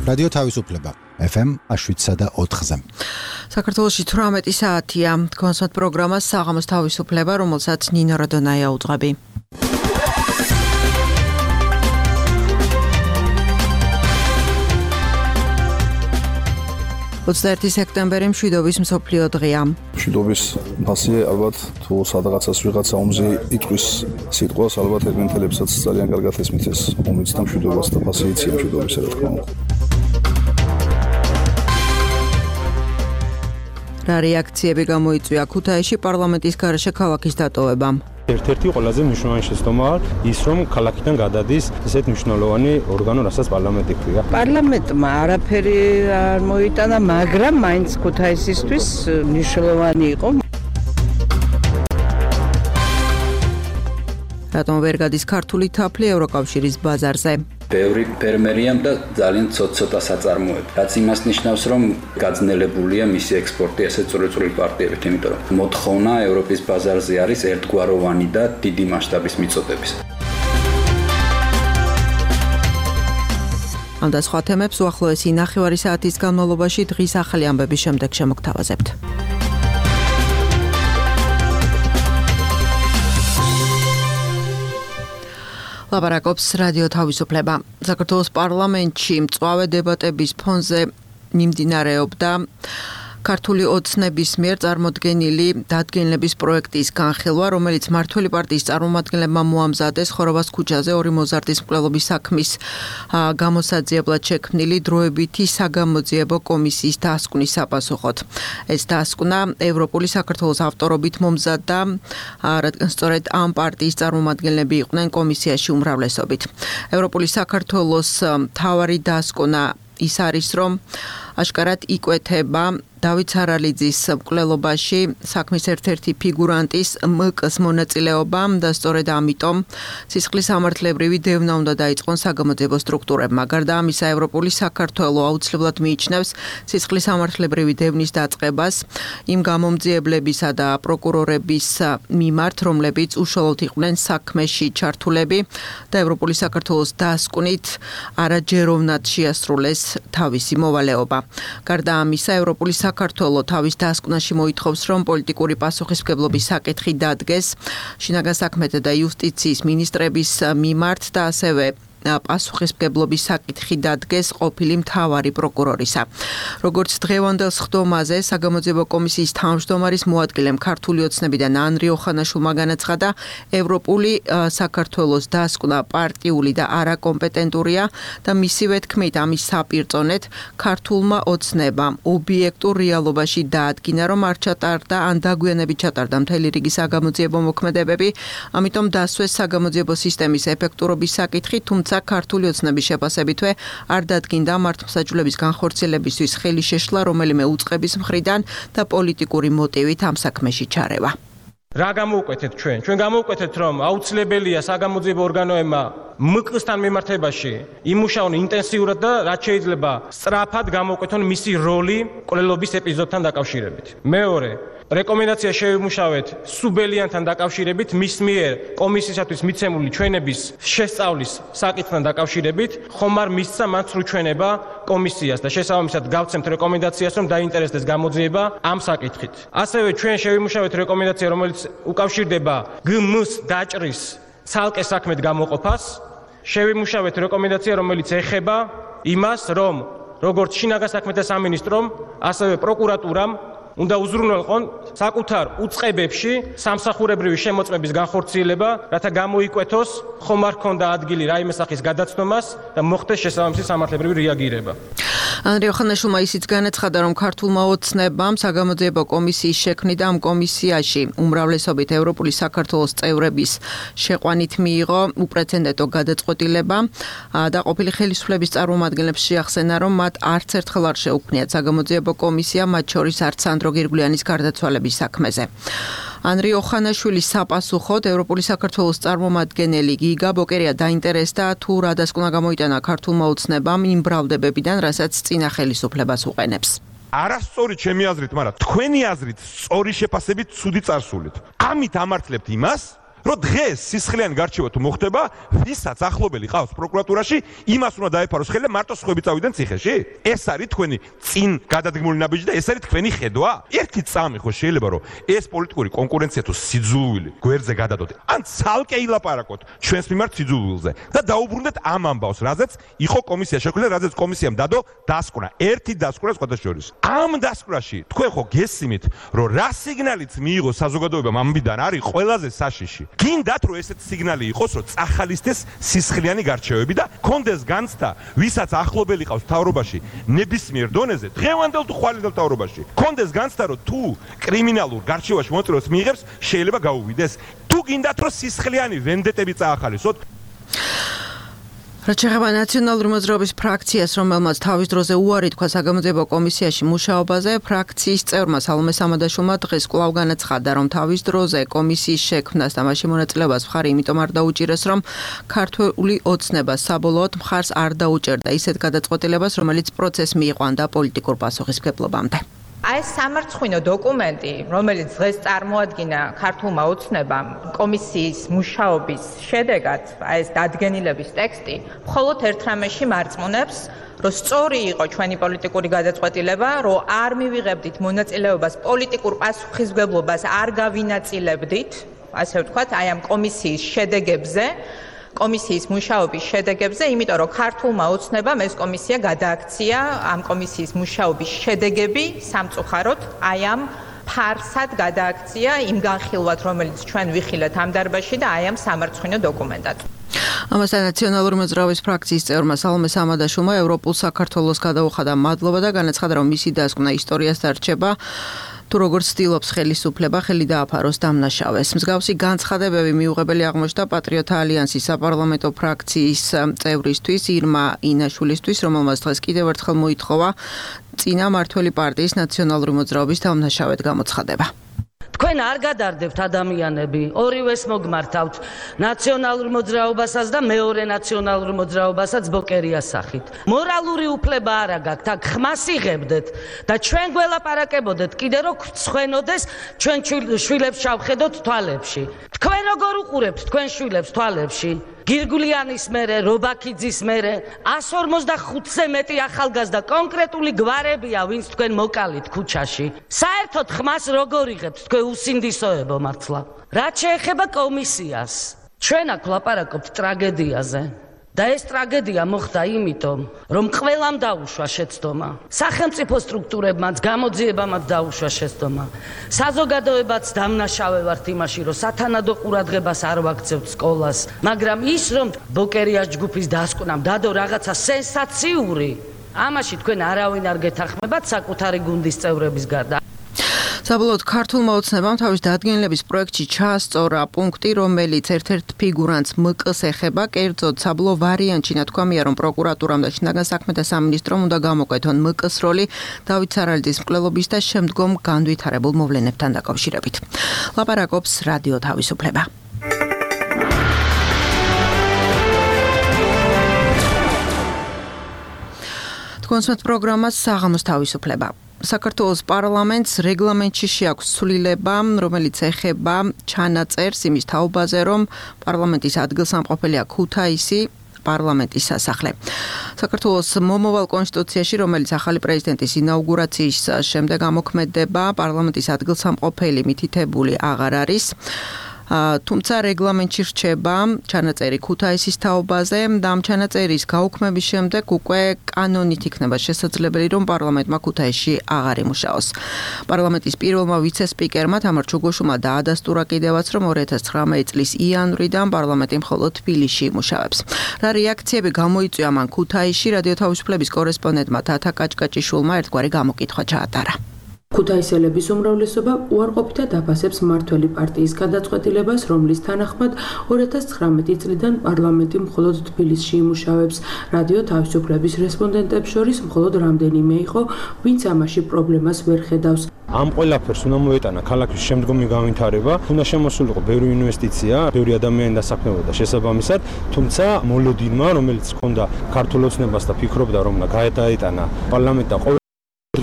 რადიო თავისუფლება FM 7.4-ზე. საქართველოში 18 საათია. კონსერტ პროგრამა საღამოს თავისუფლება, რომელსაც ნინო რადონაია უძღვები. 21 სექტემბერი მშვიდობის მსოფლიო დღეა. მშვიდობის ფასი ალბათ თუ სადღაცას ვიღაცა ომზე იტყვის სიტყვას, ალბათ ერთმანეთებსაც ძალიან კარგად ესმით ეს ომიც და მშვიდობას და ფასი იციან მშვიდობისა, რა თქმა უნდა. რა რეაქციები გამოიწვია ქუთაისში პარლამენტის გარეშე ქალაქის დატოვებამ? ერთ-ერთი ყველაზე მნიშვნელოვანი შეცდომაა ის, რომ ქალაქიდან გადადის ესეთ მნიშვნელოვანი ორგანო, რასაც პარლამენტი ქვია. პარლამენტმა არაფერი არ მოიტანა, მაგრამ მაინც ქუთაისისთვის მნიშვნელოვანი იყო. რატომ ვერ გადის ქართული თაფლი ევროკავშირის ბაზარზე? ბევრი ფერმერია და ძალიან ცოტა საწარმოები. რაც იმას ნიშნავს, რომ გაძნელებულია მისი ექსპორტი ასეთ წვრილ პარტიებით, იმიტომ რომ მოთხოვნა ევროპის ბაზარზე არის ერთგვაროვანი და დიდი მასშტაბის მიწოდების. ამ და სხვა თემებს უახლოესი ნახევარი საათის განმავლობაში დღის ახალი ამბების შემდეგ შემოგთავაზებთ. ლაპარაკობს რადიო თავისუფლება. საქართველოს პარლამენტში მწვავე დებატების ფონზე მიმდინარეობდა ქართული ოცნების მიერ წარმოდგენილი დადგენილების პროექტის განხილვა, რომელიც მმართველი პარტიის წარმომადგენლებმა მოამზადეს ხოროვას ქუჩაზე ორი მოზარდის მკვლელობის საქმის გამოსაძიებლად შექმნილი დროებითი საგამოძიებო კომისიის დასკვნის საპასუხოდ. ეს დასკვნა ევროპული საქართველოს ავტორობით მომზადდა, რადგან სწორედ ამ პარტიის წარმომადგენლები იყვნენ კომისიაში უმრავლესობით. ევროპული საქართველოს მთავარი დასკვნა ის არის, რომ აშკარად იკვეთება დავით სარალიძის მკვლელობაში საქმის ერთ-ერთი ფიგურანტის მკ-ს მონაწილეობა და სწორედ ამიტომ სისხლის სამართლებრივი დევნა უნდა დაიწყონ საგამოძიებო სტრუქტურებმა. გარდა ამისა, ევროპული საქართველო აუცილებლად მიიჩნევს სისხლის სამართლებრივი დევნის დაწყებას იმ გამომძიებლებისა და პროკურორების მიმართ, რომლებიც უშუალოდ იყვნენ საქმეში ჩართულები და ევროპული საქართველოს დასკვნით არაჯეროვნად შეასრულეს თავისი მოვალეობა. გარდა ამისა, ევროპული საქართველო თავის დასკვნაში მოითხოვს, რომ პოლიტიკური პასუხისმგებლობის საკითხი დადგეს შინაგან საქმეთა და იუსტიციის მინისტრების მიმართ და ასევე პასუხისმგებლობის საკითხი დადგეს ყოფილი მთავარი პროკურორისა. როგორც დღევანდელ სხდომაზე საგამოძიებო კომისიის თავმჯდომარის მოადგილემ ქართული ოცნებიდან ანრი ოხანაშვილმა განაცხადა, ევროპული საქართველოს დასკვნა პარტიული და არაკომპეტენტურია და მისივე თქმით ამის საპირწონედ ქართულმა ოცნებამ ობიექტურ რეალობაში დაადგინა, რომ არ ჩატარდა ან დაგვიანებით ჩატარდა მთელი რიგი საგამოძიებო მოქმედებები, ამიტომ დასვეს საგამოძიებო სისტემის ეფექტურობის საკითხი, თუმცა ქართული ოცნების შეფასებითვე არ დადგინდა მართლმსაჯულების განხორციელებისთვის ხელი შეშლა რომელიმე უწყების მხრიდან და პოლიტიკური მოტივით ამ საქმეში ჩარევა. რა გამოვკვეთეთ ჩვენ? ჩვენ გამოვკვეთეთ, რომ აუცილებელია საგამოძიებო ორგანოებმა მკ-სთან მიმართებაში იმუშაონ ინტენსიურად და რაც შეიძლება სწრაფად გამოვკვეთონ მისი როლი მკვლელობის ეპიზოდთან დაკავშირებით. მეორე, რეკომენდაცია შევიმუშავეთ სუბელიანთან დაკავშირებით მის მიერ კომისიისათვის მიცემული ჩვენების შესწავლის საკითხთან დაკავშირებით, ხომ არ მისცა მათ სრულჩვენება კომისიას და შესაბამისად გავცემთ რეკომენდაციას, რომ დაინტერესდეს გამოძიება ამ საკითხით. ასევე ჩვენ შევიმუშავეთ რეკომენდაცია, რომელიც უკავშირდება გმ-ს დაჭრის ცალკე საქმედ გამოყოფას. შევიმუშავეთ რეკომენდაცია, რომელიც ეხება იმას, რომ როგორც შინაგან საქმეთა სამინისტრომ, ასევე პროკურატურამ უნდა უზრუნველყონ საკუთარ უწყებებში სამსახურებრივი შემოწმების განხორციელება, რათა გამოიკვეთოს ხომ არ ჰქონდა ადგილი რაიმე სახის გადაცნომას და მოხდეს შესაბამისი სამართლებრივი რეაგირება. ანრი ოხანაშვილმა ისიც განაცხადა, რომ ქართულმა ოცნებამ საგამოძიებო კომისიის შექმნით და ამ კომისიაში უმრავლესობით ევროპული საქართველოს წევრების შეყვანით მიიღო უპრეცედენტო გადაწყვეტილება და ყოფილი ხელისუფლების წარმომადგენლებს შეახსენა, რომ მათ არც ერთხელ არ შეუქმნიათ საგამოძიებო კომისია, მათ შორის არც სანდრო გირგვლიანის გარდაცვალების საქმეზე. ანრი ოხანაშვილის საპასუხოდ ევროპული საქართველოს წარმომადგენელი გიგა ბოკერია დაინტერესდა თუ რა დასკვნა გამოიტანა ქართულმა ოცნებამ იმ ბრალდებებიდან, რასაც წინა ხელისუფლებას უყენებს. არასწორი ჩემი აზრით, მაგრამ თქვენი აზრით სწორი შეფასებით ცუდი წარსულით. ამით ამართლებთ იმას, რომ დღეს სისხლიანი გარჩევა თუ მოხდება, ვისაც ახლობელი ყავს პროკურატურაში, იმას უნდა დაეფაროს ხელი და მარტო სხვები წავიდნენ ციხეში? ეს არის თქვენი წინ გადადგმული ნაბიჯი და ეს არის თქვენი ხედვა? ერთი წამი ხო შეიძლება რომ ეს პოლიტიკური კონკურენცია თუ სიძულვილი გვერდზე გადადოთ, ან ცალკე ილაპარაკოთ ჩვენს მიმართ სიძულვილზე და დაუბრუნდეთ ამ ამბავს, რაზეც იყო კომისია შექმნილი, რაზეც კომისიამ დადო დასკვნა, ერთი დასკვნა სხვათა შორის. ამ დასკვნაში თქვენ ხო გესიმით, რომ რა სიგნალიც მიიღო საზოგადოებამ ამბიდან არის ყველაზე საშიში. გინდათ რომ ესეთი სიგნალი იყოს, რომ წახალისდეს სისხლიანი გარჩევები და კონდეს განცდა, ვისაც ახლობელი ყავს მთავრობაში ნებისმიერ დონეზე, დღევანდელ თუ ხვალინდელ მთავრობაში. კონდეს განცდა, რომ თუ კრიმინალურ გარჩევაში მოწვევას მიიღებს, შეიძლება გაუვიდეს. თუ გინდათ რომ სისხლიანი ვენდეტები წაახალისოთ, რაც შეეხება ნაციონალური მოძრაობის ფრაქციას, რომელმაც თავის დროზე უარი თქვა საგამოძიებო კომისიაში მუშაობაზე, ფრაქციის წევრმა სალომე სამადაშვილმა დღეს კვლავ განაცხადა, რომ თავის დროზე კომისიის შექმნას და მასში მონაწილეობას მხარი იმიტომ არ დაუჭირეს, რომ ქართული ოცნება საბოლოოდ მხარს არ დაუჭერდა ისეთ გადაწყვეტილებას, რომელიც პროცესს მიიყვანდა პოლიტიკურ პასუხისმგებლობამდე. ეს სამარცხვინო დოკუმენტი, რომელიც დღეს წარმოადგინა ქართულმა ოცნებამ კომისიის მუშაობის შედეგად, ეს დადგენილების ტექსტი, მხოლოდ ერთ რამეში მარწმუნებს, რომ სწორი იყო ჩვენი პოლიტიკური გადაწყვეტილება, რომ არ მივიღებდით მონაწილეობას პოლიტიკურ პასუხისმგებლობას, არ გავინაწილებდით, ასე ვთქვათ, აი ამ კომისიის შედეგებზე. კომისიის მუშაობის შედეგებზე, იმიტომ რომ ქართულმა ოცნებამ ეს კომისია გადააქცია ამ კომისიის მუშაობის შედეგები სამწუხაროდ აი ამ ფარსად გადააქცია იმ განხილვად, რომელიც ჩვენ ვიხილეთ ამ დარბაზში და აი ამ სამარცხვინო დოკუმენტად. ამასთან ნაციონალური მოძრაობის ფრაქციის წევრმა სალომე სამადაშვილმა ევროპულ საქართველოს გადაუხადა მადლობა და განაცხადა, რომ მისი დასკვნა ისტორიას დარჩება. თუ როგორც ცდილობს ხელისუფლება ხელი დააფაროს დამნაშავეს. მსგავსი განცხადებები მიუღებელი აღმოჩნდა პატრიოტთა ალიანსის საპარლამენტო ფრაქციის წევრისთვის ირმა ინაშვილისთვის, რომელმაც დღეს კიდევ ერთხელ მოითხოვა წინა მართველი პარტიის ნაციონალური მოძრაობის დამნაშავედ გამოცხადება. თქვენ არ გადარდებთ ადამიანები, ორივეს მოგმართავთ ნაციონალურ მოძრაობასაც და მეორე ნაციონალურ მოძრაობასაც ბოკერიას სახით. მორალური უფლება არა გაქვთ, აქ ხმას იღებდეთ და ჩვენ გველაპარაკებოდეთ კიდე რომ ხვენოდეს ჩვენ შვილებს ჩავხედოთ თვალებში. თქვენ როგორ უყურებთ თქვენ შვილებს თვალებში? გირგულიანის მერე, რობაქიძის მერე 145-ზე მეტი ახალგაზრდა კონკრეტული გვარებია, ვინც თქვენ მოკალით ქუჩაში. საერთოდ ხმას როგორ იღებთ თქვენ უსინდისოებო მართლა? რაც შეეხება კომისიას, ჩვენ აქ ვლაპარაკობთ ტრაგედიაზე. და ეს ტრაგედია მოხდა იმიტომ, რომ ყველამ დაუშვა შეცდომა. სახელმწიფო სტრუქტურებმაც, გამოძიებამაც დაუშვა შეცდომა. საზოგადოებაც დამნაშავე ვართ იმაში, რომ სათანადო ყურადღებას არ ვაქცევთ სკოლას, მაგრამ ის რომ ბოკერიას ჯგუფის დასკვნამ დადო რაღაცა სენსაციური, ამაში თქვენ არავინ არ გეთანხმებათ საკუთარი გუნდის წევრების გარდა. საბოლოოდ ქართულმა ოცნებამ თავის დადგენილების პროექტში ჩაასწორა პუნქტი, რომელიც ერთ-ერთ ფიგურანტს ՄԿ-ს ეხება, კერძოდ საბოლოო ვარიანტში ნათქვამია, რომ პროკურატურამ და შინაგან საქმეთა სამინისტრომ უნდა გამოკეთონ ՄԿ-ს როლი დავით სარალიძის მკვლელობის და შემდგომ განვითარებულ მოვლენებთან დაკავშირებით. ლაპარაკობს რადიო თავისუფლება. თქვენს პროგრამას საღამოს თავისუფლება. საქართველოს პარლამენტს რეგლამენტში შეაქვს ცვლილება, რომელიც ეხება ჩანაწერს იმის თაობაზე, რომ პარლამენტის ადგილსამყოფელია ქუთაისი, პარლამენტის სასახლე. საქართველოს მომავალ კონსტიტუციაში, რომელიც ახალი პრეზიდენტის ინაუგურაციის შემდეგ ამოქმედება, პარლამენტის ადგილსამყოფელი მითითებული აღარ არის. თუმცა რეგლამენტში რჩება ჩანაწერი ქუთაისის თაობაზე და ამ ჩანაწერის გაუქმების შემდეგ უკვე კანონით იქნება შესაძლებელი, რომ პარლამენტმა ქუთაისში აღარ იმუშაოს. პარლამენტის პირველმა ვიცე-სპიკერმა თამარ ჩუგოშუმა დაადასტურა კიდევაც, რომ 2019 წლის იანვრიდან პარლამენტი მხოლოდ თბილისში იმუშავებს. რა რეაქციები გამოიწვია მან ქუთაისში, რადიო თავისუფლების კორესპონდენტმა თათა კაჭკაჭიშვილმა ერთგვარი გამოკითხვა ჩაატარა. ქუთაისელების უმრავლესობა უარყოფითად აფასებს მმართველი პარტიის გადაწყვეტილებას, რომლის თანახმად 2019 წლიდან პარლამენტი მხოლოდ თბილისში იმუშავებს. რადიო თავისუფლების რესპონდენტებს შორის მხოლოდ რამდენიმე იყო, ვინც ამაში პრობლემას ვერ ხედავს. ამ ყველაფერს უნდა მოეტანა ქალაქის შემდგომი განვითარება, უნდა შემოსულიყო ბევრი ინვესტიცია, ბევრი ადამიანი დასაქმებოდა შესაბამისად, თუმცა მოლოდინმა, რომელიც ჰქონდა ქართულ ოცნებას და ფიქრობდა, რომ უნდა გაეტანა პარლამენტი და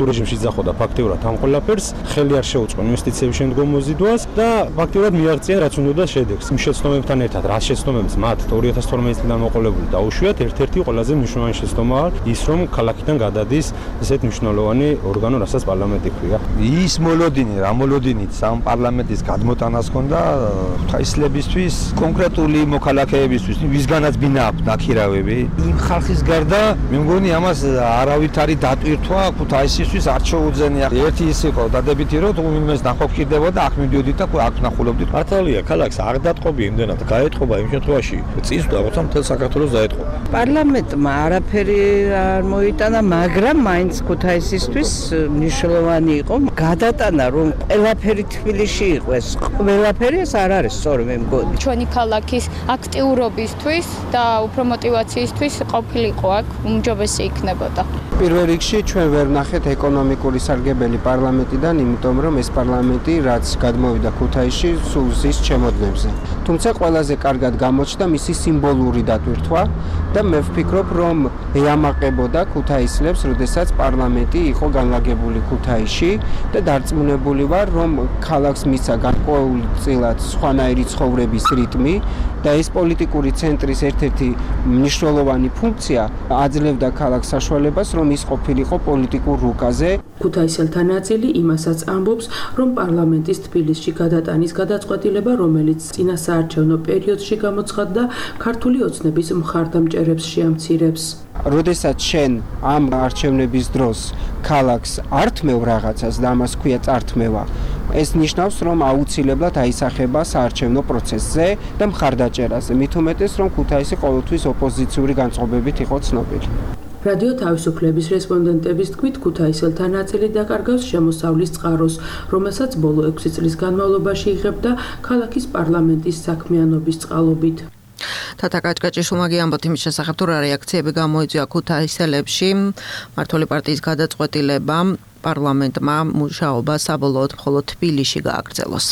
რეჟიმში ძახოდა ფაქტიურად ამ ყველაფერს, ხელი არ შეუწყო ინვესტიციების შემდგომ მოზიდვას და ფაქტიურად მიაღწია რაც უნდა შედეგს. იმ შეცდომებთან ერთად, რაც შეცდომებს მათ 2012 წლიდან მოყოლებული დაუშვიათ, ერთ-ერთი ყველაზე მნიშვნელოვანი შეცდომაა ის, რომ ქალაქიდან გადადის ესეთ მნიშვნელოვანი ორგანო, რასაც პარლამენტი ქვია. ის მოლოდინი, რა მოლოდინით სამ პარლამენტის გადმოტანას ჰქონდა ხაისლებისთვის, კონკრეტული მოქალაქეებისთვის, ვისგანაც ბინა აქვს ნაქირავები. იმ ხალხის გარდა მე მგონი ამას არავითარი დატვირთვა ქუთაისისთვის არ შეუძენია. ერთი ის იყო დადებითი, რომ თუ იმეს ნახოქირდებოდა, აქ მიდიოდით და აქ ნახულობდით. მართალია, ქალაქს არ დატყობი იმდენად, გაეტყობა იმ შემთხვევაში, წინსვლა როცა მთელ საქართველოს დაეტყობა. პარლამენტმა არაფერი არ მოიტანა, მაგრამ მაინც ქუთაისისთვის მნიშვნელოვანი იყო გადატანა, რომ ყველაფერი თბილისში იყოს. ყველაფერი ეს არ არის სწორი მე მგონი. ჩვენი ქალაქის აქტიურობისთვის და უფრო мотиваციისთვის ყოფილიყო აქ, უმჯობესი იქნებოდა. პირველ რიგში ჩვენ ვერ ნახეთ ეკონომიკური სარგებელი პარლამენტიდან, იმიტომ რომ ეს პარლამენტი რაც გადმოვიდა ქუთაისში, სულ ზის ჩემოდნებზე. თუმცა ყველაზე კარგად გამოჩნდა მისი სიმბოლური დატვირთვა და მე ვფიქრობ, რომ ეამაყებოდა ქუთაისლებს, როდესაც პარლამენტი იყო განლაგებული ქუთაისში და დარწმუნებული ვარ, რომ ქალაქს მისცა განკვეულწილად სხვანაირი ცხოვრების რიტმი და ეს პოლიტიკური ცენტრის ერთ-ერთი მნიშვნელოვანი ფუნქცია აძლევდა ქალაქს საშუალებას, რომ ის ყოფილიყო პოლიტიკურ რუკაზე. ქუთაისელთა ნაწილი იმასაც ამბობს, რომ პარლამენტის თბილისში გადატანის გადაწყვეტილება, რომელიც წინა საარჩევნო პერიოდში გამოცხადდა, ქართული ოცნების მხარდამჭერებს შეამცირებს. როდესაც შენ ამ არჩევნების დროს ქალაქს არ თმევ რაღაცას და ამას ქვია წართმევა, ეს ნიშნავს, რომ აუცილებლად აისახება საარჩევნო პროცესზე და მხარდაჭერაზე, მით უმეტეს, რომ ქუთაისი ყოველთვის ოპოზიციური განწყობებით იყო ცნობილი. რადიო თავისუფლების რესპონდენტების თქმით, ქუთაისელთა ნაწილი დაკარგავს შემოსავლის წყაროს, რომელსაც ბოლო 6 წლის განმავლობაში იღებდა ქალაქის პარლამენტის საქმიანობის წყალობით. თათა კაჭკაჭიშვილმა ამბობთ იმის შესახებ, თუ რა რეაქციები გამოიწვია ქუთაისელებში მმართველი პარტიის გადაწყვეტილებამ პარლამენტმა მუშაობა საბოლოოდ მხოლოდ თბილისში გააგრძელოს.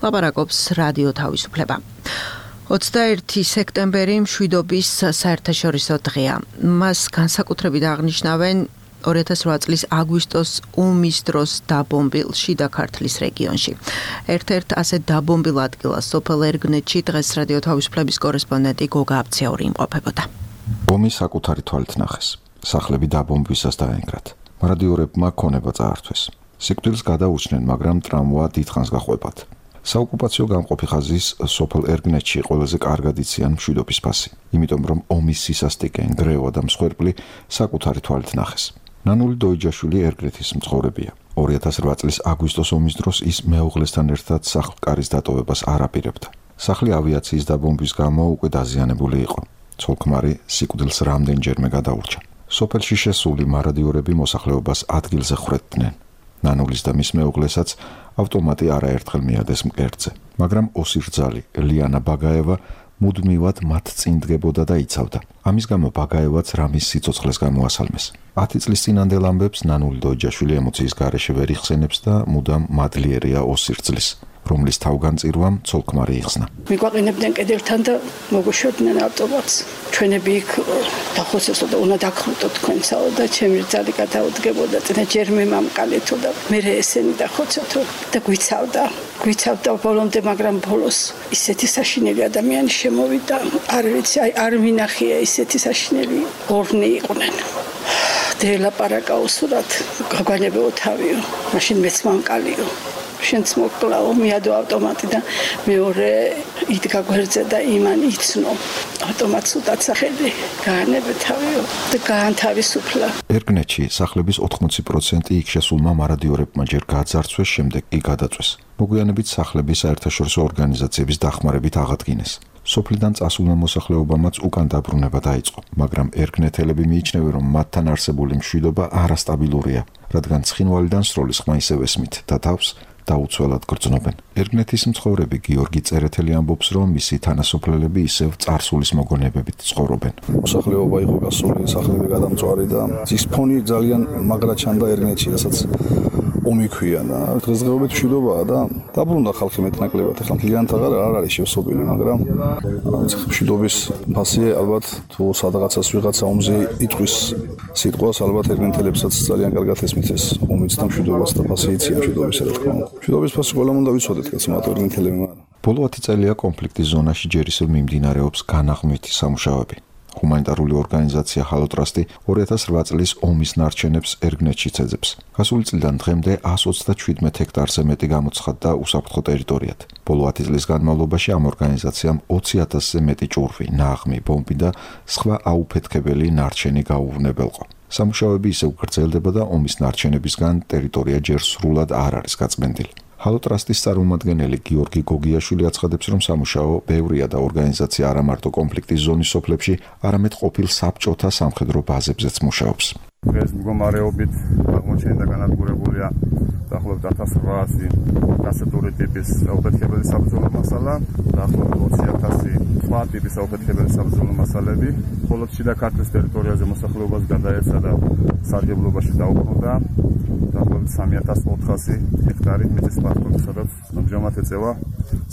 ლაპარაკობს რადიო თავისუფლება. 21 სექტემბერი მშვიდობის საერთაშორისო დღეა. მას განსაკუთრებით აღნიშნავენ 2008 წლის აგვისტოს ომის დროს დაბომბილ შიდა ქართლის რეგიონში. ერთ-ერთ ასეთ დაბომბილ ადგილას სოფელ ერგნეთში დღეს რადიო თავისუფლების კორესპონდენტი გოგა აბციური იმყოფებოდა. ომი საკუთარი თვალით ნახეს. სახლები დაბომბვისას დაენგრათ. მარადიორებმა ქონება წაართვეს. სიკვდილს გადაუჩნენ, მაგრამ ტრამვა დიდხანს გაყვებათ. საოკუპაციო გამყოფი ხაზის სოფელ ერგნეთში ყველაზე კარგად იციან მშვიდობის ფასი, იმიტომ რომ ომის სისასტიკე, ნგრევა და მსხვერპლი საკუთარი თვალით ნახეს. ნანული დოიჯაშვილი ერგნეთის მცხოვრებია. 2008 წლის აგვისტოს ომის დროს ის მეუღლესთან ერთად სახლკარის დატოვებას არ აპირებდა. სახლი ავიაციის დაბომბვის გამო უკვე დაზიანებული იყო. ცოლ-ქმარი სიკვდილს რამდენჯერმე გადაურჩა. სოფელში შესული მარადიორები მოსახლეობას ადგილზე ხვრეთდნენ. ნანულის და მის მეუღლესაც ავტომატი არაერთხელ მიადეს მკერდზე, მაგრამ ოსირძალი ლიანა ბაგაევა მუდმივად მათ წინ დგებოდა და იცავდა. ამის გამო ბაგაევაც რამის სიცოცხლეს გამოასალმეს. 10 წლის წინანდელ ამბებს ნანული დოიჯაშვილი ემოციის გარეშე ვერ იხსენებს და მუდამ მადლიერია ოსირძლის, რომლის თავგანწირვამ ცოლ-ქმარი იხსნა. მიგვაყენებდნენ კიდევთან და მოგვიშვებდნენ ავტომატს. ჩვენები იქ დახოცესო და უნდა დაგხვდოთ თქვენსაო და ჩემი ძალი გადაუდგებოდა წინა ჯერმე მამკალეთო და მე ესენი დახოცეთო და გვიცავდა ბოლომდე, მაგრამ ბოლოს ისეთი საშინელი ადამიანი შემოვიდა. არ ვიცი, არ მინახია ისეთი საშინელი ორნი იყვნენ. დელაპარაკა უსურად გაგვანებო თავიო, მაშინ მეც მამკალიო. შენც მოკლაო, მიადო ავტომატი და მეორე იდგა გვერდზე და იმან იცნო. ავტომატს უდაცახელი, გაანებე თავიო და გაანთავისუფლა. ერგნეთში სახლების 80% იქ შესულმა მარადიორებმა ჯერ გაძარცვეს, შემდეგ კი გადაწვეს. მოგვიანებით სახლები საერთაშორისო ორგანიზაციების დახმარებით აღადგინეს. სოფლიდან წასულმა მოსახლეობამაც უკან დაბრუნება დაიწყო, მაგრამ ერგნეთელები მიიჩნევენ, რომ მათთან არსებული მშვიდობა არასტაბილურია, რადგან ცხინვალიდან სროლის ხმა ისევ ესმით და თავს დაუცველად გრძნობენ. ერგნეთის მცხოვრები გიორგი წერეთელი ამბობს, რომ მისი თანასოფლელები ისევ წარსულის მოგონებებით ცხოვრობენ. მოსახლეობა იყო გასული, სახლები გადამწვარი და ის ფონი ძალიან მაგრა ჩანდა ერგნეთში, რასაც ომი ქვია. დღესდღეობით მშვიდობაა და დაბრუნდა ხალხი მეტნაკლებად. ახლა მთლიანად არ არის შევსობილი, მაგრამ მშვიდობის ფასი ალბათ თუ სადღაცას ვიღაცა ომზე იტყვის სიტყვას, ალბათ ერთმანეთლებსაც ძალიან კარგად ესმის ეს ომიც და მშვიდობას და ფასი იციან მშვიდობისა, რა თქმა უნდა. მშვიდობის ფასი ყველამ უნდა ვიცოდეთ, კაცო, მათ ერთმანეთლებმა. ბოლო 10 წელია კონფლიქტის ზონაში ჯერისელ მიმდინარეობს განაღმვითი სამუშაოები. ჰუმანიტარული ორგანიზაცია ჰალოტრასტი 2008 წლის ომის ნარჩენებს ერგნეთში ცეძებს. გასული წლიდან დღემდე 137 ჰექტარზე მეტი გამოცხადდა უსაფრთხო ტერიტორიად. ბოლო 10 წლის განმავლობაში ამ ორგანიზაციამ 20,000-ზე მეტი ჭურვი, ნაღმი, ბომბი და სხვა აუფეთქებელი ნარჩენი გაუვნებელყო. სამუშაოები ისევ გრძელდება და ომის ნარჩენებისგან ტერიტორია ჯერ სრულად არ არის გაწმენდილი. ჰალოტრასტის წარმომადგენელი გიორგი გოგიაშვილი აცხადებს, რომ სამუშაო ბევრია და ორგანიზაცია არა მარტო კონფლიქტის ზონის სოფლებში, არამედ ყოფილ საბჭოთა სამხედრო ბაზებზეც მუშაობს. დღეს მდგომარეობით აღმოჩენილი და განადგურებულია დაახლოებით 1800 კასეტური ტიპის აუფეთქებელი საბრძოლო მასალა, დაახლოებით 20,000 სხვა ტიპის აუფეთქებელი საბრძოლო მასალები. მხოლოდ შიდა ქართლის ტერიტორიაზე მოსახლეობას გადაეცა და სარგებლობაში დაუბრუნდა დაახლოებით 3,400 ჰექტარი მიწის პარკი, სადაც ამჟამად ეწევა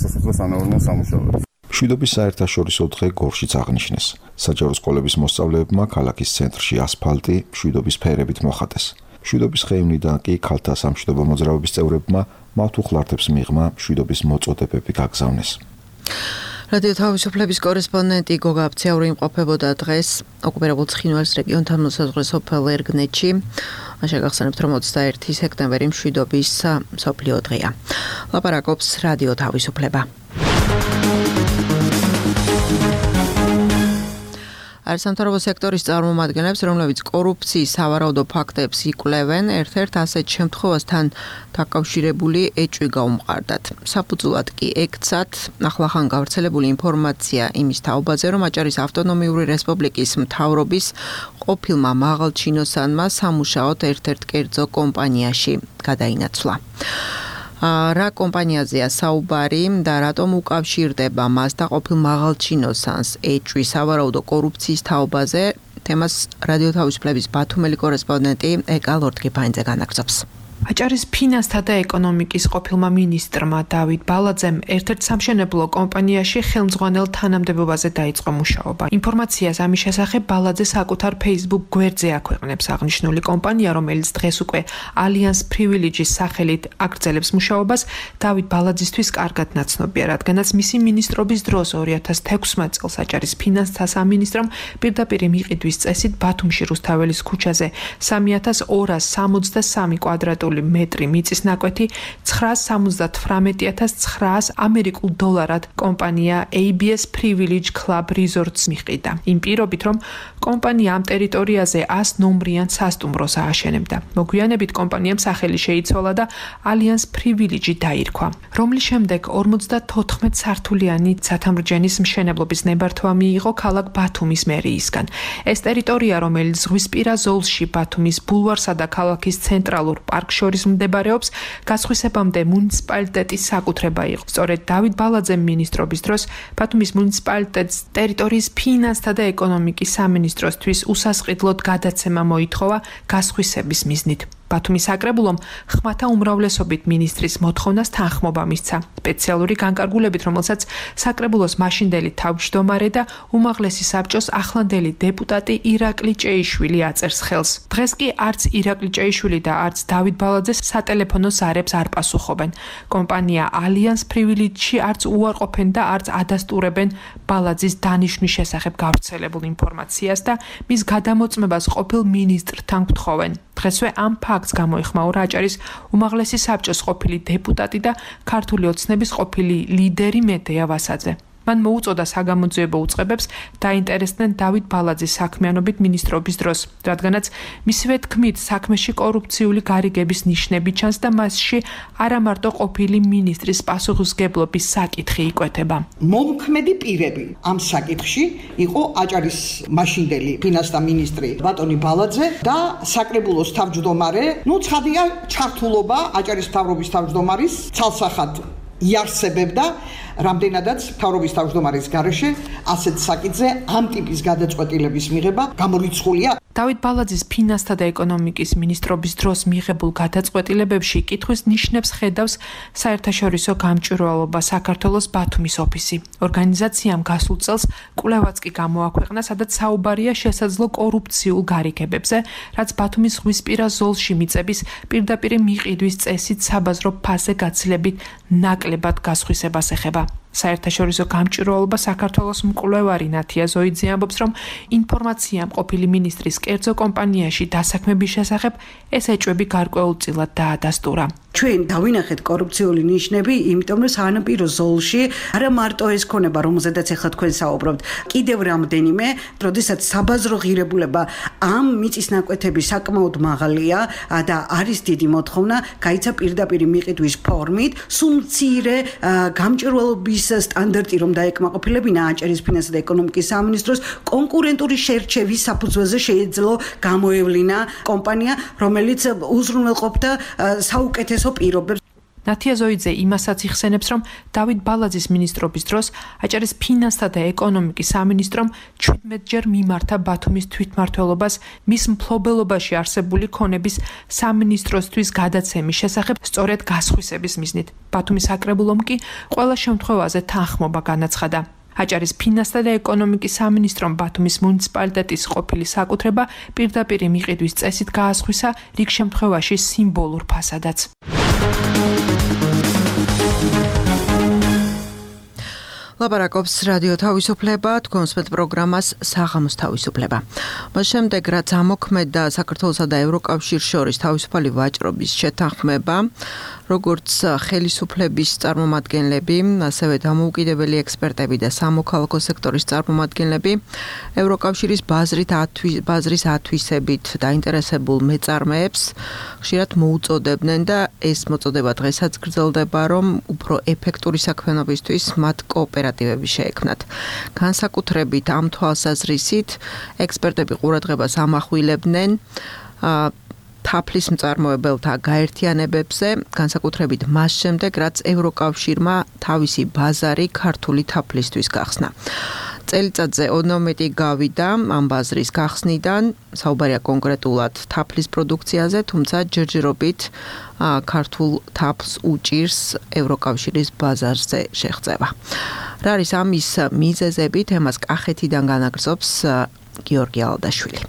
სასოფლო-სამეურნეო სამუშაოებს. მშვიდობის საერთაშორისო დღე გორშიც აღნიშნეს. საჯარო სკოლების მოსწავლეებმა ქალაქის ცენტრში ასფალტი მშვიდობის ფერებით მოხატეს. მშვიდობის ხეივნიდან კი ქალთა სამშვიდობო მოძრაობის წევრებმა მავთუხლართებს მიღმა მშვიდობის მოწოდებები გაგზავნეს. რადიო თავისუფლების კორესპონდენტი გოგა აფციაური იმყოფებოდა დღეს ოკუპირებულ ცხინვალის რეგიონთან მოსაზღვრე სოფელ ერგნეთში. შეგახსენებთ, რომ 21 სექტემბერი მშვიდობის მსოფლიო დღეა. ლაპარაკობს რადიო თავისუფლება. არასამთავრობო სექტორის წარმომადგენლებს, რომლებიც კორუფციის სავარაუდო ფაქტებს იკვლევენ, ერთ-ერთ ასეთ შემთხვევასთან დაკავშირებული ეჭვი გაუმყარდათ. საფუძვლად კი ექცათ ახლახან გავრცელებული ინფორმაცია იმის თაობაზე, რომ აჭარის ავტონომიური რესპუბლიკის მთავრობის ყოფილმა მაღალჩინოსანმა სამუშაოდ ერთ-ერთ კერძო კომპანიაში გადაინაცვლა. რა კომპანიაზეა საუბარი და რატომ უკავშირდება მას და ყოფილ მაღალჩინოსანს ეჭვი სავარაუდო კორუფციის თაობაზე, თემას რადიო თავისუფლების ბათუმელი კორესპონდენტი ეკა ლორდგიფაინძე განაგრძობს. აჭარის ფინანსთა და ეკონომიკის ყოფილმა მინისტრმა დავით ბალაძემ ერთ-ერთ სამშენებლო კომპანიაში ხელმძღვანელ თანამდებობაზე დაიწყო მუშაობა. ინფორმაციას ამის შესახებ ბალაძე საკუთარ Facebook გვერდზე აქვეყნებს. აღნიშნული კომპანია, რომელიც დღეს უკვე Alliance Privileges სახელით აგრძელებს მუშაობას, დავით ბალაძისთვის კარგად ნაცნობია, რადგანაც მისი მინისტრობის დროს 2016 წელს აჭარის ფინანსთა სამინისტრომ პირდაპირ მიყიდვის წესით ბათუმში რუსთაველის ქუჩაზე 3273 კვადრატული მეტრი მიწის ნაკვეთი 978,900 ამერიკულ დოლარად კომპანია ABS Privilege Club Resorts მიყიდა. იმ პირობით, რომ კომპანია ამ ტერიტორიაზე 100 ნომრიან სასტუმროს ააშენებდა. მოგვიანებით კომპანიამ სახელი შეიცვალა და Alliance Privilege დაირქვა, რომლის შემდეგ 54 სართულიანი ცათამრჯენის მშენებლობის ნებართვა მიიღო ქალაქ ბათუმის მერიისგან. ეს ტერიტორია, რომელიც ზღვისპირა ზოლში ბათუმის ბულვარსა და ქალაქის ცენტრალურ პარკში შორის მდებარეობს, გასხვისებამდე მუნიციპალიტეტის საკუთრება იყო. სწორედ დავით ბალაძემ მინისტრობის დროს ბათუმის მუნიციპალიტეტს ტერიტორიის ფინანსთა და ეკონომიკის სამინისტროსთვის უსასყიდლოდ გადაცემა მოითხოვა გასხვისების მიზნით. ბათუმის საკრებულომ ხმათა უმრავლესობით მინისტრის მოთხოვნას თანხმობა მისცა. სპეციალური განკარგულებით, რომელსაც საკრებულოს მაშინდელი თავმჯდომარე და უმაღლესი საბჭოს ახლანდელი დეპუტატი ირაკლი ჭეიშვილი აწერს ხელს. დღეს კი არც ირაკლი ჭეიშვილი და არც დავით ბალაძე სატელეფონო ზარებს არ პასუხობენ. კომპანია Alliance Privilege-ში არც უარყოფენ და არც ადასტურებენ ბალაძის დანიშვნის შესახებ გავრცელებულ ინფორმაციას და მის გადამოწმებას ყოფილ მინისტრთან გთხოვენ. დღესვე ამ ფაქტს გამოიხმაურა აჭარის უმაღლესი საბჭოს ყოფილი დეპუტატი და ქართული ოცნების ყოფილი ლიდერი მედეა ვასაძე. მან მოუწოდა საგამოძიებო უწყებებს დაინტერესდნენ დავით ბალაძის საქმიანობით მინისტრობის დროს, რადგანაც მისივე თქმით საქმეში კორუფციული გარიგების ნიშნები ჩანს და მასში არა მარტო ყოფილი მინისტრის პასუხისმგებლობის საკითხი იკვეთება. მომქმედი პირები ამ საკითხში იყო აჭარის მაშინდელი ფინანსთა მინისტრი ბატონი ბალაძე და საკრებულოს თავმჯდომარე, ცხადია ჩართულობა აჭარის მთავრობის თავმჯდომარის ცალსახად იარსებებდა რამდენადაც მთავრობის თავმჯდომარის გარეშე ასეთ საკითხზე ამ ტიპის გადაწყვეტილების მიღება გამორიცხულია. დავით ბალაძის ფინანსთა და ეკონომიკის მინისტრობის დროს მიღებულ გადაწყვეტილებებში კითხვის ნიშნებს ხედავს საერთაშორისო გამჭვირვალობა საქართველოს ბათუმის ოფისი. ორგანიზაციამ გასულ წელს კვლევაც კი გამოაქვეყნა, სადაც საუბარია შესაძლო კორუფციულ გარიგებებზე, რაც ბათუმის ზღვისპირა ზოლში მიწების პირდაპირ მიყიდვის წესით საბაზრო ფასზე გაცილებით ნაკლებად გასხვისებას ეხება. საერთაშორისო გამჭვირვალობა საქართველოს მკვლევარი ნათია ზოიძე ამბობს, რომ ინფორმაცია ყოფილი მინისტრის კერძო კომპანიაში დასაქმების შესახებ ეს ეჭვები გარკვეულწილად დაადასტურა. ჩვენ დავინახეთ კორუფციული ნიშნები, იმიტომ რომ სანაპირო ზოლში არა მარტო ეს ქონება, რომელზედაც ახლა თქვენ საუბრობთ, კიდევ რამდენიმე, როდესაც საბაზრო ღირებულება ამ მიწის ნაკვეთების საკმაოდ მაღალია და არის დიდი მოთხოვნა, გაიცა პირდაპირ მიყიდვის ფორმით, სულ მცირე გამჭვირვალობის სტანდარტი რომ დაეკმაყოფილებინა აჭარის ფინანსთა და ეკონომიკის სამინისტროს კონკურენტული შერჩევის საფუძველზე შეეძლო გამოევლინა კომპანია, რომელიც უზრუნველყოფდა საუკეთესო პირობებს. ნათია ზოიძე იმასაც იხსენებს, რომ დავით ბალაძის მინისტრობის დროს აჭარის ფინანსთა და ეკონომიკის სამინისტრომ 17-ჯერ მიმართა ბათუმის თვითმმართველობას მის მფლობელობაში არსებული ქონების სამინისტროსთვის გადაცემის შესახებ სწორედ გასხვისების მიზნით. ბათუმის საკრებულომ კი ყველა შემთხვევაზე თანხმობა განაცხადა. აჭარის ფინანსთა და ეკონომიკის სამინისტრომ ბათუმის მუნიციპალიტეტის ყოფილი საკუთრება პირდაპირ მიყიდვის წესით გაასხვისა, რიგ შემთხვევაში სიმბოლურ ფასადაც. ლაპარაკობს რადიო თავისუფლება, თქვენსმეთ პროგრამას საღამოს თავისუფლება. მას შემდეგ რაც ამოქმედა საქართველოსა და ევროკავშირის შორის თავისუფალი ვაჭრობის შეთანხმება, როგორც ხელისუფლების წარმომადგენლები, ასევე დამოუკიდებელი ექსპერტები და სამოქალაქო სექტორის წარმომადგენლები ევროკავშირის ბაზრის ათვისებით დაინტერესებულ მეწარმეებს ხშირად მოუწოდებდნენ და ეს მოწოდება დღესაც გრძელდება, რომ უფრო ეფექტური საქმიანობისთვის მათ კოოპერატივები შეექმნათ. განსაკუთრებით ამ თვალსაზრისით ექსპერტები ყურადღებას ამახვილებდნენ თაფლის მწარმოებელთა გაერთიანებებზე, განსაკუთრებით მას შემდეგ, რაც ევროკავშირმა თავისი ბაზარი ქართული თაფლისთვის გახსნა. წელიწადზე 12 გავიდა ამ ბაზრის გახსნიდან, საუბარია კონკრეტულად თაფლის პროდუქციაზე, თუმცა ჯერჯერობით ქართულ თაფლს უჭირს ევროკავშირის ბაზარზე შეღწევა. რა არის ამის მიზეზები, თემას კახეთიდან განაგრძობს გიორგი ალდაშვილი.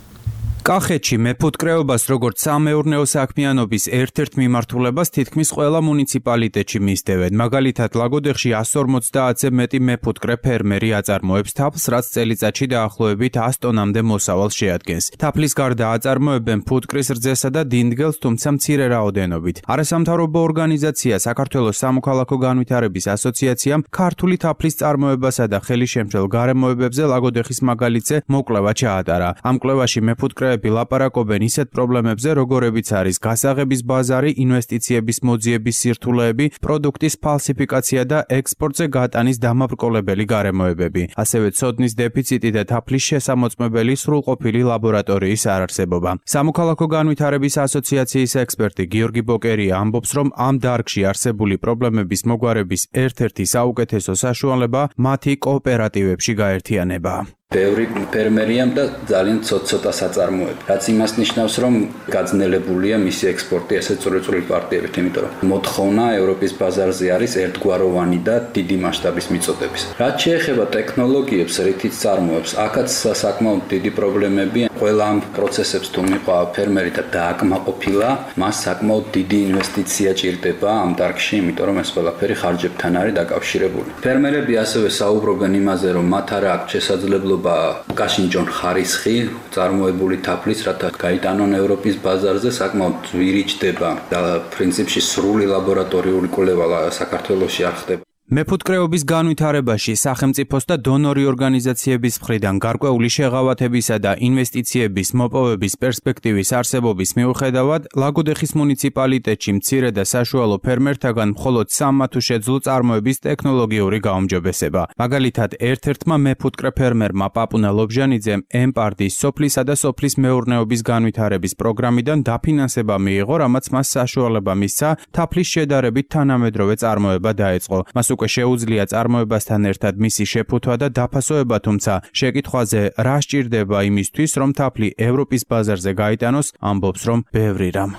კახეთში მეფუტკრეობას როგორც სამეურნეო საქმიანობის ერთ-ერთ მიმართულებას თითქმის ყველა მუნიციპალიტეტში მისდევენ. მაგალითად, ლაგოდეხში 150-ზე მეტი მეფუტკრე ფერმერი აწარმოებს თაფლს, რაც წელიწადში დაახლოებით 100 ტონამდე მოსავალს შეადგენს. თაფლის გარდა აწარმოებენ ფუტკრის რძესა და დინდგელს, თუმცა მცირე რაოდენობით. არასამთავრობო ორგანიზაცია საქართველოს სამოქალაქო განვითარების ასოციაციამ ქართული თაფლის წარმოებასა და ხელისშემშელ გარემოებებზე ლაგოდეხის მაგალითზე მოკვლევა ჩაატარა. ამ კვლევაში მეფუტკრე ლაპარაკობენ ისეთ პრობლემებზე, როგორებიც არის გასაღების ბაზარი, ინვესტიციების მოძიების სირთულეები, პროდუქტის ფალსიფიკაცია და ექსპორტზე გატანის დამაბრკოლებელი გარემოებები. ასევე ცოდნის დეფიციტი და თაფლის შესამოწმებელი სრულყოფილი ლაბორატორიის არარსებობა. სამოქალაქო განვითარების ასოციაციის ექსპერტი გიორგი ბოკერია ამბობს, რომ ამ დარგში არსებული პრობლემების მოგვარების ერთ-ერთი საუკეთესო საშუალება მათი კოოპერატივებში გაერთიანება. ბევრი ფერმერია და ძალიან ცოტა საწარმოები. რაც იმას ნიშნავს, რომ გაძნელებულია მისი ექსპორტი ესეთ წვრილ პარტიებით, იმიტომ რომ მოთხოვნა ევროპის ბაზარზე არის ერთგვაროვანი და დიდი მასშტაბის მიწოდების. რაც შეეხება ტექნოლოგიებს, რითიც წარმოებს, აქაც საკმაოდ დიდი პრობლემებია. ყველა ამ პროცესებს თუ მიყვა ფერმერი და დააკმაყოფილა, მას საკმაოდ დიდი ინვესტიცია ჭირდება ამ დარგში, იმიტომ რომ ეს ყველაფერი ხარჯებთან არის დაკავშირებული. ფერმერები ასევე საუბრობენ იმაზე, რომ მათ არ აქვს შესაძლებლობა გაშინჯონ ხარისხი წარმოებული თაფლის, რათა გაიტანონ ევროპის ბაზარზე, საკმაოდ ძვირი ჩდება და პრინციპში სრული ლაბორატორიული კვლევა საქართველოში არ ხდება. მეფუტკრეობის განვითარებაში სახელმწიფოს და დონორი ორგანიზაციების მხრიდან გარკვეული შეღავათებისა და ინვესტიციების მოპოვების პერსპექტივის არსებობის მიუხედავად, ლაგოდეხის მუნიციპალიტეტში მცირე და საშუალო ფერმერთაგან მხოლოდ 3 თუ შეძლო წარმოების ტექნოლოგიური გაუმჯობესება. მაგალითად, ერთ-ერთმა მეფუტკრე ფერმერმა პაპუნა ლობჟანიძემ ემპარტის სოფლისა და სოფლის მეურნეობის განვითარების პროგრამიდან დაფინანსება მიიღო, რამაც მას საშუალება მისცა თაფლის შედარებით თანამედროვე წარმოება დაეწყო. მას უკვე შეუძლია წარმოებასთან ერთად მისი შეფუთვა და დაფასოება, თუმცა შეკითხვაზე რა სჭირდება იმისთვის, რომ თაფლი ევროპის ბაზარზე გაიტანოს, ამბობს, რომ ბევრი რამ.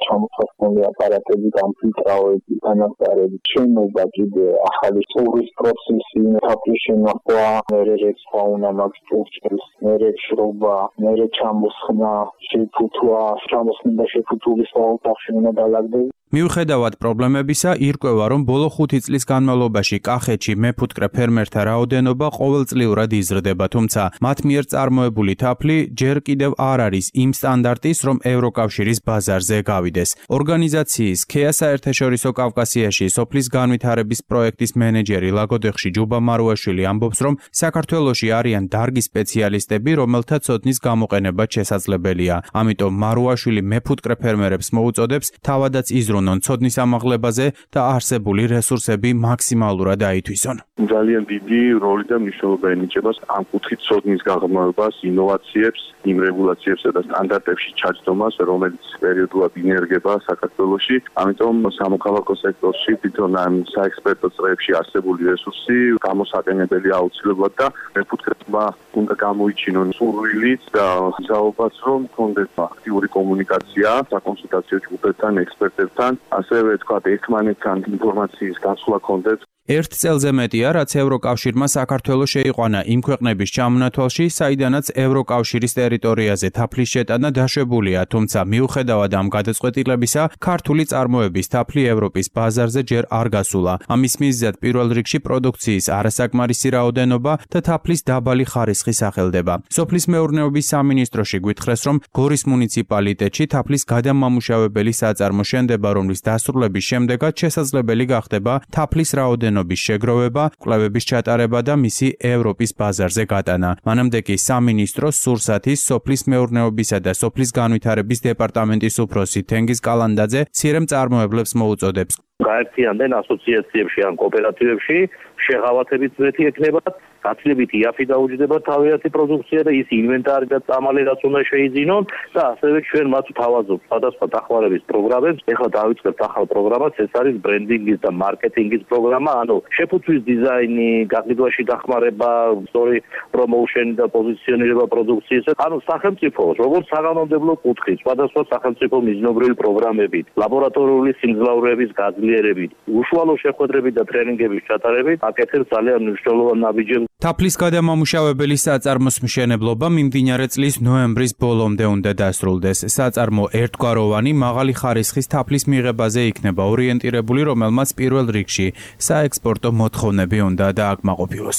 ჩამოსასწორებული აპარატები, გამფილტრავები, განახარები, შენობა კიდე ახალი სწავლის პროცესი, თაფლის შენახვა, მერე რეცხვა უნდა მაგ სტურჩელს, მერე შრობა, მერე ჩამოსხმა, შეფუთვა, ჩამოსხმა შეფუთულის ოთახში უნდა დალაგდეს. მიუხედავად პრობლემებისა, ირკვევა, რომ ბოლო 5 წლის განმავლობაში კახეთში მეფუტკრე ფერმერთა რაოდენობა ყოველწლიურად იზრდება, თუმცა მათ მიერ წარმოებული თაფლი ჯერ კიდევ არ არის იმ სტანდარტის, რომ ევროკავშირის ბაზარზე გავიდეს. ორგანიზაციის ქეა საერთაშორისო კავკასიაში სოფლის განვითარების პროექტის მენეჯერი ლაგოდეხში ჯუბა მარუაშვილი ამბობს, რომ საქართველოში არიან დარგი სპეციალისტები, რომელთა ცოდნის გამოყენება შესაძლებელია. ამიტომ მარუაშვილი მეფუტკრე ფერმერებს მოუწოდებს თავადაც იზრუნონ ცოდნის ამაღლებაზე და არსებული რესურსები მაქსიმალურად აითვისონ. ძალიან დიდი როლი და მნიშვნელობა ენიჭება ამ კუთხით ცოდნის გაღრმავებას, ინოვაციებს, იმ რეგულაციებსა და სტანდარტებში ჩაჯდომას, რომელიც პერიოდულად ინერგება საქართველოში. ამიტომ სამოქალაქო სექტორში თვითონ ამ საექსპერტო წრეებში არსებული რესურსი გამოსაყენებელი აუცილებლად და მეფუტკრეებმა უნდა გამოიჩინონ სურვილით და ზაობაც, რომ კონდეს აქტიური კომუნიკაცია საკონსულტაციო ჯგუფებთან, ექსპერტებთან, ასევე თქვა ერთმანეთთან ინფორმაციის გაცვლა კონდეს. ერთ წელზე მეტია, რაც ევროკავშირმა საქართველოს შეიყვანა იმ ქვეყნების ჩამონათვალში, საიდანაც ევროკავშირის ტერიტორიაზე თაფლის შეტანა დაშვებულია, თუმცა მიუხედავად ამ გადაწყვეტილებისა, ქართული წარმოების თაფლი ევროპის ბაზარზე ჯერ არ გასულა. ამის მიზეზად პირველ რიგში პროდუქციის არასაკმარისი რაოდენობა და თაფლის დაბალი ხარისხი სახელდება. სოფლის მეურნეობის სამინისტროში გვითხრეს, რომ გორის მუნიციპალიტეტში თაფლის გადამამუშავებელი საწარმო შენდება, რომლის დასრულების შემდეგაც შესაძლებელი გახდება თაფლის რაოდენობის შეგროვება, კვლევების ჩატარება და მისი ევროპის ბაზარზე გატანა. მანამდე კი სამინისტროს სურსათის სოფლის მეურნეობისა და სოფლის განვითარების დეპარტამენტის უფროსი თენგიზ კალანდაძე მცირე მწარმოებლებს მოუწოდებს. გაერთიანდნენ ასოციაციებში ან კოოპერატივებში, შეღავათებით ზეთი ექნებათ, გაცილებით იაფი დაუჯდება თავიანთი პროდუქცია და ის ინვენტარი და წამალი რაც უნდა შეიძინონ და ასევე ჩვენ მათ ვთავაზობთ სხვადასხვა დახმარების პროგრამებს. ეხლა დავიწყებთ ახალ პროგრამას, ეს არის ბრენდინგის და მარკეტინგის პროგრამა, ანუ შეფუთვის დიზაინი, გაყიდვაში დახმარება, სწორი პრომოუშენი და პოზიციონირება პროდუქციის. ანუ სახელმწიფო, როგორც საგანმანათლებლო კუთხით, სხვადასხვა სახელმწიფო მიზნობრივი პროგრამებით, ლაბორატორიული სიმძლავრეების გაძლიერებით, უშუალო შეხვედრებით და ტრენინგების ჩატარებით აკეთებს ძალიან მნიშვნელოვან ნაბიჯებს. თაფლის გადამამუშავებელი საწარმოს მშენებლობა მიმდინარე წლის ნოემბრის ბოლომდე უნდა დასრულდეს. საწარმო ერთგვაროვანი მაღალი ხარისხის თაფლის მიღებაზე იქნება ორიენტირებული, რომელმაც პირველ რიგში საექსპორტო მოთხოვნები უნდა დააკმაყოფილოს.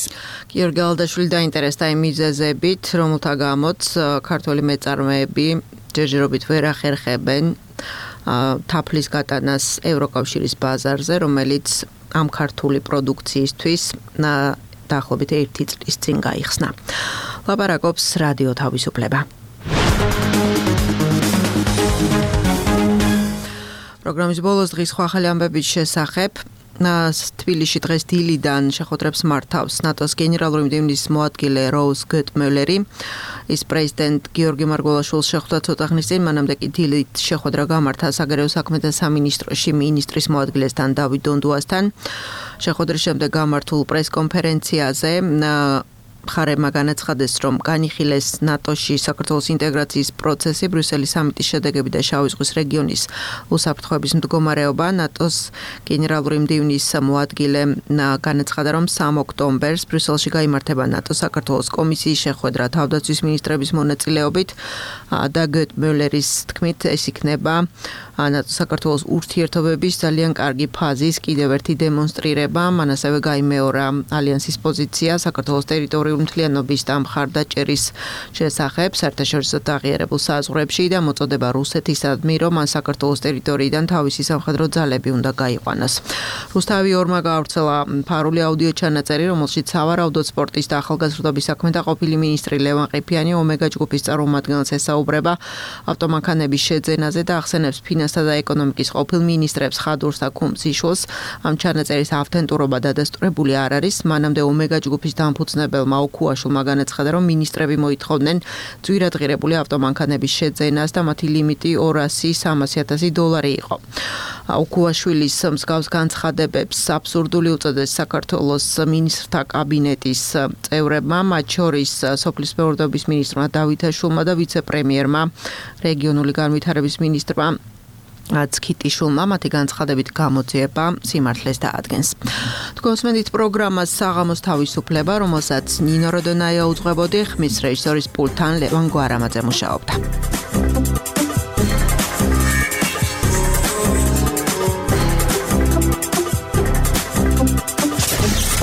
გიორგი ალდაშვილი დაინტერესდა იმ მიზეზებით, რომელთა გამოც ქართველი მეწარმეები ჯერჯერობით ვერ ახერხებენ თაფლის გატანას ევროკავშირის ბაზარზე, რომელიც ამ ქართული პროდუქციისთვის დაახლოებით 1 წლის წინ გაიხსნა. ლაპარაკობს რადიო თავისუფლება. პროგრამის ბოლოს დღის სხვა ახალი ამბების შესახებ თბილისში დღეს დილიდან შეხვედრებს მართავს ნატოს გენერალური მდივნის მოადგილე როუზ გეტმელერი. ის პრეზიდენტ გიორგი მარგველაშვილს შეხვდა ცოტა ხნის წინ, მანამდე კი დილით შეხვედრა გამართა საგარეო საქმეთა სამინისტროში მინისტრის მოადგილესთან დავით დონდუასთან. შეხვედრის შემდეგ გამართულ პრესკონფერენციაზე მხარეებმა განაცხადეს, რომ განიხილეს ნატოში საქართველოს ინტეგრაციის პროცესი, ბრიუსელის სამიტის შედეგები და შავი ზღვის რეგიონის უსაფრთხოების მდგომარეობა. ნატოს გენერალური მდივნის მოადგილემ განაცხადა, რომ 3 ოქტომბერს ბრიუსელში გაიმართება ნატო-საქართველოს კომისიის შეხვედრა თავდაცვის მინისტრების მონაწილეობით და გეტმელერის თქმით ეს იქნება ნატო-საქართველოს ურთიერთობების ძალიან კარგი ფაზის კიდევ ერთი დემონსტრირება. მან ასევე გაიმეორა ალიანსის პოზიცია საქართველოს ტერიტორიული მთლიანობის და მხარდაჭერის შესახებ საერთაშორისო აღიარებულ საზღვრებში და მოწოდება რუსეთისადმი, რომ მან საქართველოს ტერიტორიიდან თავისი სამხედრო ძალები უნდა გაიყვანოს. რუსთავი ორმა გაავრცელა ფარული აუდიო ჩანაწერი, რომელშიც სავარაუდოდ სპორტის და ახალგაზრდობის საქმეთა ყოფილი მინისტრი ლევან ყიფიანი ომეგა ჯგუფის წარმომადგენელს ესაუბრა ესაუბრება ავტომანქანების შეძენაზე და ახსენებს ფინანსთა და ეკონომიკის ყოფილ მინისტრებს ხადურს და ქუმციშვილს. ამ ჩანაწერის ავთენტურობა დადასტურებული არ არის. მანამდე ომეგა ჯგუფის დამფუძნებელმა ოქუაშვილმა განაცხადა, რომ მინისტრები მოითხოვდნენ ძვირადღირებული ავტომანქანების შეძენას და მათი ლიმიტი $200,000-300,000 იყო. ოქუაშვილის მსგავს განცხადებებს აბსურდული უწოდეს საქართველოს მინისტრთა კაბინეტის წევრებმა, მათ შორის სოფლის მეურნეობის მინისტრმა დავითაშვილმა და ვიცე-პრემიერმა რეგიონული განვითარების მინისტრმა ცქიტიშვილმა მათი განცხადებით გამოძიება სიმართლეს დაადგენს. თქვენსმენით პროგრამას საღამოს თავისუფლება, რომელსაც ნინო როდონაია უძღვებოდი, ხმის რეჟისორის პულტთან ლევან გვარამაძე მუშაობდა.